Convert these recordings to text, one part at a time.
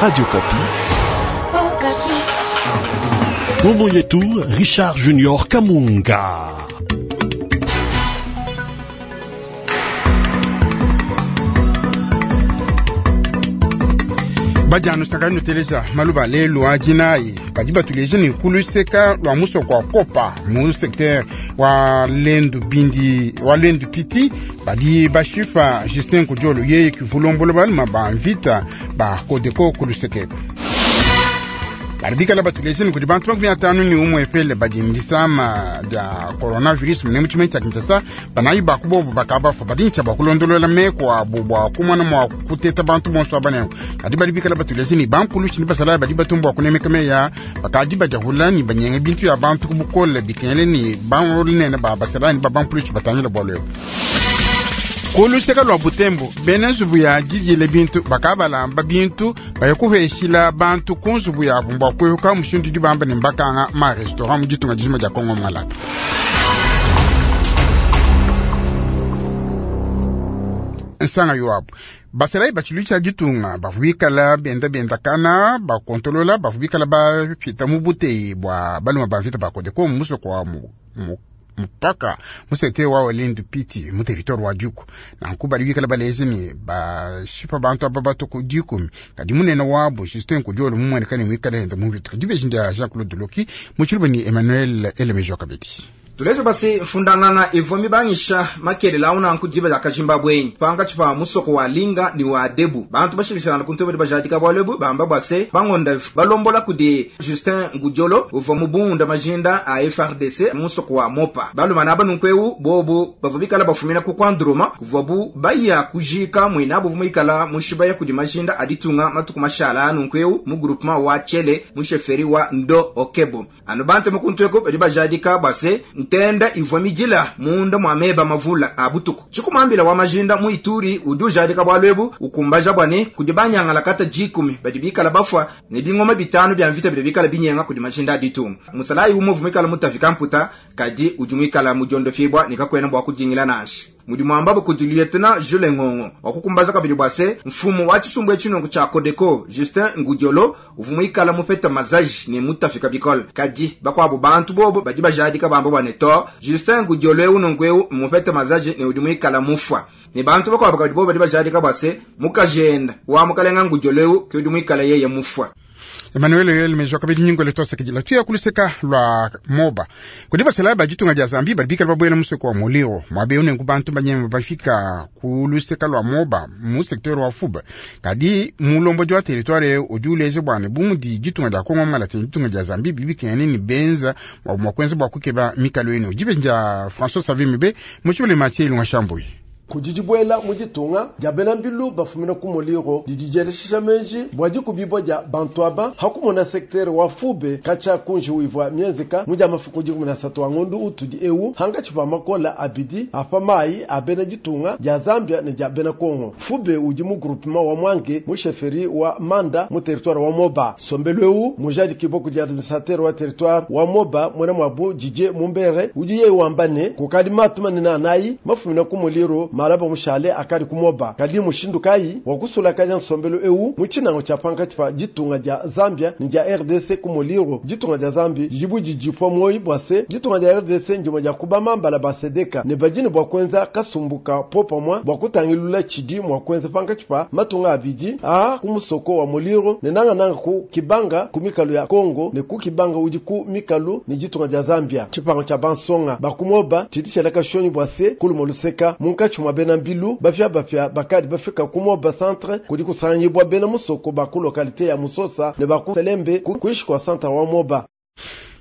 Radio Okapi. Ngumu yetu Richard Junior Kamunga. Bajanu sangani nuteleza maluba lelu a dinayi badi batuleja ne kuluseka lua musoko wa kopa mu secteur wa lendu bindi wa lendu piti badi bashipa Justin Kujolo yeye kivulombola baluma ba mvita ba Kodeko kulusekeko badi bikala batuleja ne kudi bantu 51 epele badi ndisama dia coronavirus mune mu tshimenyi tshia Kinshasa banayi bakubobo bakabafa badi ntshia bua kulondolola meko abo bua kumona mua kuteta bantu bonso aba nenku kadi badi bikala batuleja ne bampulushi ne basalayi badi batumba bua kunemeka meya bakadi badiahula ne banyenga bintu ya bantu ku bukole bikengele ne banene ba basalayi ne ba bampulushi batangila bualu ebu. Kuluseka lua Butembo bena nzubu ya didile bintu bakabalamba bintu baya kuheshila bantu ku nzubu yabu bua kuehuka mushindu udi bamba ne mbakanga ma restaurant mu ditunga dijima dia Kongo Malata. Nsanga yoabu basalayi batshilu tshia ditunga bavua bikala benda bendakana bakontolola bavua bikala bapita mu buteyi bua baluma ba mvita ba Kodeko mu musoko wa mu mpaka mu secteur wa Olindu Piti mu territoire wa Djuku nanku badi bikala baleja ne bashipa bantu aba batuku 10 kadi munene wabo Justin Kudiolo mumueneka ne muikale enda mu mvita kadi beji ndia Jean Claude Loki mu tshiluba ni Emmanuel Elemejo kabidi. Tuleje basi mfundangana ivua mibangisha makelela awu nanku diba dia kajimba bwenyi pangatshi pa musoko wa linga ni wa debu bantu bashilishilana kuntu badi bajadika bualu ebu bamba bua se bangonda balombola kudi Justin Ngudiolo uvua mubunda majinda a FRDC musoko wa Mopa balumana aba nunku ewu bobu bavua bikala bafumina ku Kwandroma kuvua bu baya kujika muinabu uvua muikala mushibaya kudi majinda a ditunga matuku mashala nunku ewu mu groupement wa Tshele mu chefferie wa Ndo Okebo anu bantu mukuntu eko badi bajadika bua se ntenda ivua midila munda mwa meba mavula a butuku tshikumambila wa majinda mu Ituri udi ujadika bualu ebu ukumbaja bua ne kudi banyangala kata 10 badi bikala bafua ne bingoma 5 bya mvita bidi bikala binyenga kudi majinda a ditunga musalayi umwe uvua muikala mutafika mputa kadi udi muikala mudiondofibwa ne kakwena bua kudingila nansha mudi mwambabo kudi lieutenant Jules Ngongo wakukumbaza kabidi bua se mfumu wa tshisumbu etshinongo tshia Kodeko Justin Ngudiolo uvua muikala mupeta mazaji ne mutafika bikole kadi bakwabo bantu bobo badi bajadika bamba bua ne to Justin Ngudiolo ewu nongo ewu mupeta mazaji ne udi muikala mufwa ne bantu bakwabo kabidi bobo badi bajadika bua se mukajenda wa mukalenga Ngudiolo ewu ke udi muikala yeye mufwa. Emmanuel Yoel Mejo kabidi nyingole twasakidila tuya kuluseka lwa Moba kudi basalayi ba ditunga dia Zambie badi bikala babuela musoko wa Moliro muabe unenku bantu banyema bafika kuluseka lwa Moba mu secteur wa Fuba kadi mulombodi wa territoire udi uleja bua ne bu mudi ditunga dia Kongo Malata ne ditunga dia Zambie bibikengene ne benza mua kuenza bua kukeba mikalo enu dibe dia François Savimbi mu tshibele Mathieu Ilunga Shambuyi. Kudi dibuela mu ditunga dia bena mbilu bafumina ku Moliro didi dieleshisha meji bua dikubibua dia bantu aba hakumona secteur wa Fube katshia kunji wivua mienzeka mu dia mafuku 13 wa ngondu utudi ewu hangatshi pa makola abidi apa mayi a bena ditunga dia Zambia ne dia bena Kongo. Fube udi mu groupement wa Mwange mu chefferie wa Manda mu territoire wa Moba. Sombelu ewu mujadikibua kudi administrateur wa territoire wa Moba mwena mwabu Didier Mumbere udi yeye wamba ne kukadi matu manene anayi mafumina ku Moliro malaba mushale akali kumoba kali mushindu kayi wakusulakaja nsombelu ewu mu tshinango tshia pankatshi pa ditunga dia Zambia ne dia RDC ku Moliro. Ditunga dia Zambia didibu didipua moyi bua se ditunga dia RDC ndimue dia kubamambala ba Sedeka ne badi ne bua kuenza kasumbuka popamwa bua kutangilula tshidi mua kuenza pankatshi pa matunga abidi a ku musoko wa Moliro ne nangananga ku Kibanga ku mikalu ya Kongo ne ku Kibanga udi ku mikalu ne ditunga dia Zambia. Tshipango tshia bansonga bakumoba tshidi tshieleka shonyi bua se kuluma luseka munkatshi mwa bena mbilu bafia bafia bakadi bafika ku Moba centre kudi kusanganyibwa bena musoko ba ku localité ya Musosa ne ba ku Selembe ku kuishi kwa centre wa Moba.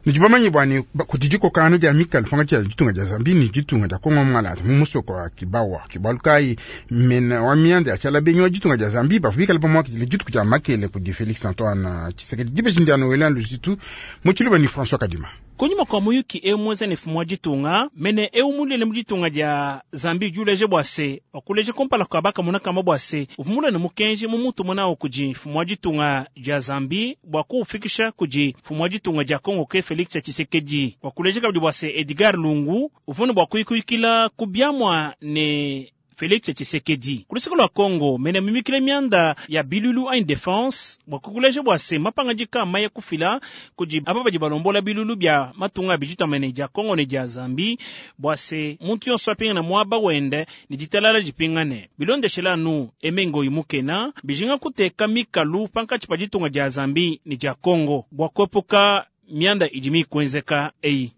Nidi bamanyi bua ne kudi dikokangana dia mikalu pankatshi ya ditunga dia Zambie ne ditunga dia Kongo Malata mu musoko wa Kibawa. Kibalu kayi mena wa mianda ya tshiala benyi wa ditunga dia Zambie bavua bikala pamuakidile dituku dia makele kudi Felix Antoine Tshisekedi dibeji ndia Noël Luzitu mu tshiluba ni François Kadima. Kunyima kua muyuki ewu muenza ne mfumu wa ditunga mene ewu mulele mu ditunga dia Zambie udi uleja bua se wakuleja kumpala kua bakamuna kamba bua se uvua mulele mukenji mu mutu munawu kudi mfumu wa ditunga dia Zambie bua kuufikisha kudi mfumu wa ditunga dia Kongo ke Felix Tshisekedi. Wakuleja kabidi bua se Edgar Lungu uvua ne bua kuyikuyikila ku biamua ne Felix Tshisekedi. Ku luseke lua Kongo, mene mimikile mianda ya bilulu anyi defense bua kukuleja bua se mapangadika maya kufila kudi aba badi balombola bilulu bia matunga a bijitamene dia Kongo ne dia Zambie bua se muntu yonso apingana muaba wende ne ditalala dipingane. Bilondeshela anu Aimé Ngoyi Mukena, bijinga kuteka mikalu pankatshi pa ditunga dia Zambie ne dia Kongo bua kuepuka mianda idi mikuenzeka eyi.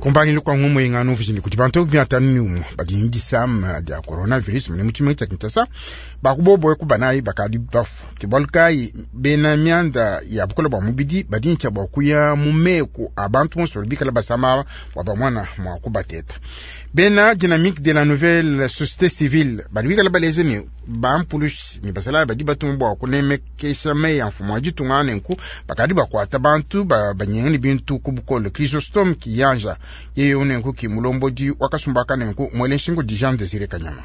Kumbangilu kwa ngumu ingano vijini kuti bantu byatanu ni umu badi ni disama dia coronavirus mune muchima cha Kinshasa bakubobo kubanayi bakadi bafu tibalkai bena mianda ya bukola bwa mubidi badi ni cha kuya mu meko abantu bonso bikala basama bwa bamwana mwa kubateta bena dynamique de la nouvelle société civile badi bikala baleje ni bampulushi ni basala badi batumwa bwa kunemekesha meya mfumo wa ditunga nenku bakadi bakwata bantu banyenga ni bintu ku bukole Chrysostome Kiyanja yeye unenku ki mulombodi wakasumbaka nenku mwele nshingu di Jean Désiré Kanyama.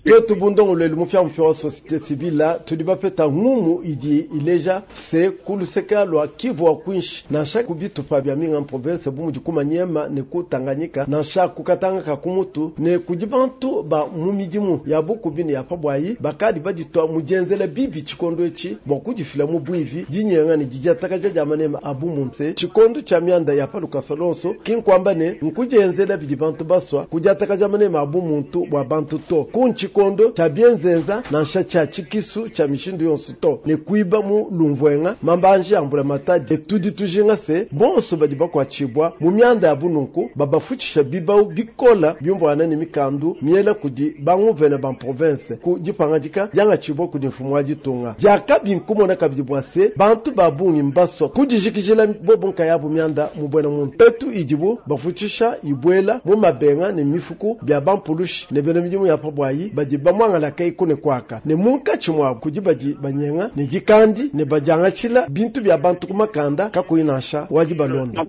Twetu bundongolwelu mupyamupya wa société civile tudi bapeta ngumu idi ileja se kuluseka lwa Kivu wa kwinshi nansha kubitupa bya minga province bu mudi kumanyema ne ku Tanganyika nansha kukatanga kumutu ne kudi bantu ba mu midimu ya bukubi ne ya pabwayi bakadi baditwa mujenzela bibi tshikondo etshi bua kudifila mu bwivi dinyenga ne didiatakaja dia manema abu munse tshikondo tshia mianda ya palukasa lonso kinkwamba ne nkujenzela bidi bantu baswa kudiatakaja manema abu muntu bua bantu to kunchikondo cha bienzenza nansha cha chikisu cha mishindu yonso to ne kuiba mu lumvwenga mambanje ambula matadi tudi tujinga se bonso badi bakwachibwa mu mianda ya bununku babafutshisha bibau bikola byumvwana ne mikandu miela kudi banguvene ba province ku dipangadika diangachibwa kudi mfumu wa ditunga diakabi nkumona kabidi bua se bantu babungi mbaswa kudijikijila bobo nkayabu mianda mu bwena muntu petu idibu bafutshisha ibwela mu mabenga ne mifuku bya bampulushi ne bena midimu ya pabwayi badi bamwangala kai kune kwaka ne munkatshi mwabu kudi badi banyenga ne dikandi ne badiangatshila bintu bya bantu ku makanda kakuyi nansha wadi balonda.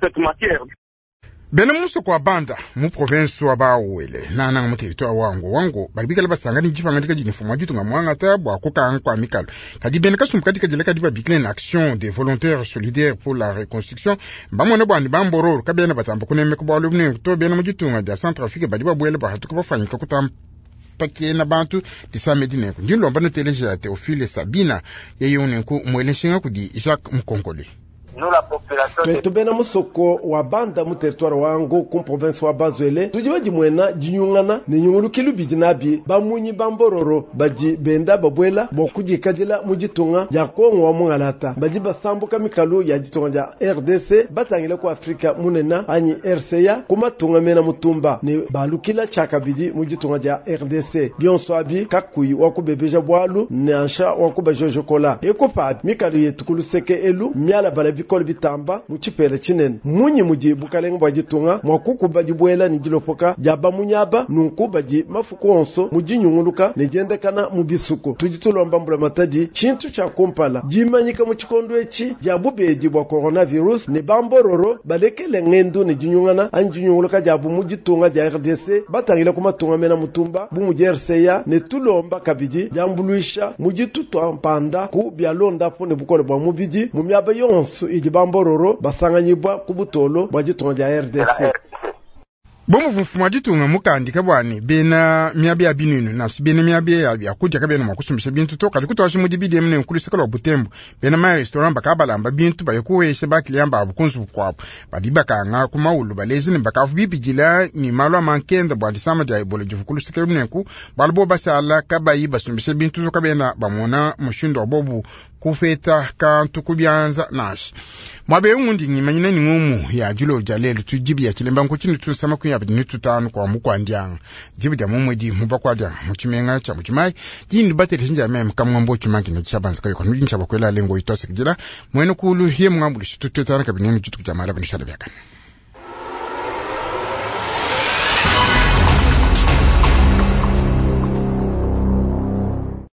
Bena musoko wa Banda mu province wa Bawele nananga mu territoire wangu wangu bali bikala basanga ni dipangadika didi mfumu wa ditunga mwangata bua kukanga kwa mikalo kadi bena kasumbu kadi kadila kadi babikile na action des volontaires solidaires pour la reconstruction bamona bwani bambororo kabena batamba kunemeka bwalu bune to bena mu ditunga dia Centrafrique badi babwele bahatuka bafanyika kutamba pakena bantu disamedi nenku ndi lomba noteleja ya Théophile Sabina yeye unenku mwele nshinga kudi Jacques Mkonkole. Twetu bena musoko wa Banda mu territoire wangu ku province wa Bazwele tudi badimwena dinyungana ne nyungulukilu bidi nabi bamunyi bambororo badi benda babwela bua kudikadila mu ditunga dia Kongo wa mungalata badi basambuka mikalu ya ditunga dia RDC batangila ku Afrika munena anyi RCA ku matunga mena mutumba ne balukila tshakabidi mu ditunga dia RDC bionso abi kakuyi wa kubebeja bwalu nansha wa kubajojokola ekopa mikalu yetu kuluseke elu miala bala bikolo bitamba mu tshipela tshinene munyi mudi bukalenga bua ditunga mua kukuba dibuela ne dilopoka dia bamunyaba nunku badi mafuku onso mu dinyunguluka ne diendekana mu bisuku tudi tulomba mbula matadi tshintu tshia kumpala dimanyika mu tshikondo etshi dia bubedi bua coronavirus ne bambororo balekele ngendu ne dinyungana anyi dinyunguluka diabu mu ditunga dia RDC batangila ku matunga mena mutumba bu mudi RCA ne tulomba kabidi diambuluisha mu ditutwa mpanda ku bialondapo ne bukole bua mubidi mu miaba yonso idi bambororo basanganyibwa ku butolo bua ditunga dia RDC. Bomu mfumu wa ditunga mukandika bwani bena miabi ya binunu nasi bena miabi ya byakudia kabena mwa kusumbisha bintu to kadi kutwasha mudi bidemu ne nkuluseka lwa Butembo bena ma restaurant bakabalamba bintu bayokuwesha bakiliyamba abu kunzubu kwabu badi bakanga ku maulu balezi ne bakavu bibidila ni malu amankenda bua disama dia Ebola divu kuluseka lunenku balu bo basala kabayi basumbisha bintu to kabena bamona mushindu wa bobu kufeta kantu kubyanza nashi mwabe ngundi ngimanyina ni ngumu ya julo ja lelo tujibi ya chilemba nkuchini tusama kuya bidi tutanu kwa mukwandyanga jibi ja mumwedi mubakwadya muchimenga cha muchimai jindi batele shinja mem kamwambo chimangi na chabanza kayo kanu jincha bakwela lengo itwase kujila mwene kulu hiye mwambulishi tututana kabinene jutu jamala binishala byakana.